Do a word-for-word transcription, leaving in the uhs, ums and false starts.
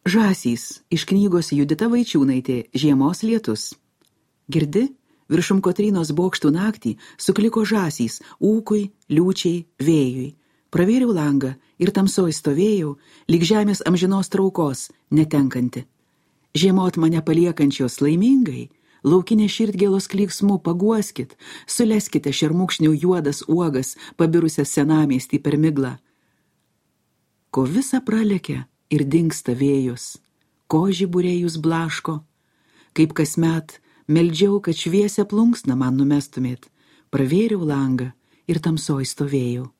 Žąsys iš knygos Judita Vaičiūnaitė Žiemos lietus. Girdi, viršum Kotrynos bokštų naktį sukliko žąsys ūkui, liūčiai, vėjui. Pravėriau langą ir tamsoj stovėjau, lyg žemės amžinos traukos, netenkanti. Žiemot mane paliekančios laimingai, laukinė širdgėlos klyksmu paguoskit, suleskite šermukšnių juodas uogas, pabirusias senamiestį per miglą. Ko visa pralekia ir dingsta vėjus, ko žiburėjus blaško, kaip kasmet meldžiau, kad šviesią plunksną man numestumėt, pravėriau langą ir tamsoj stovėjau.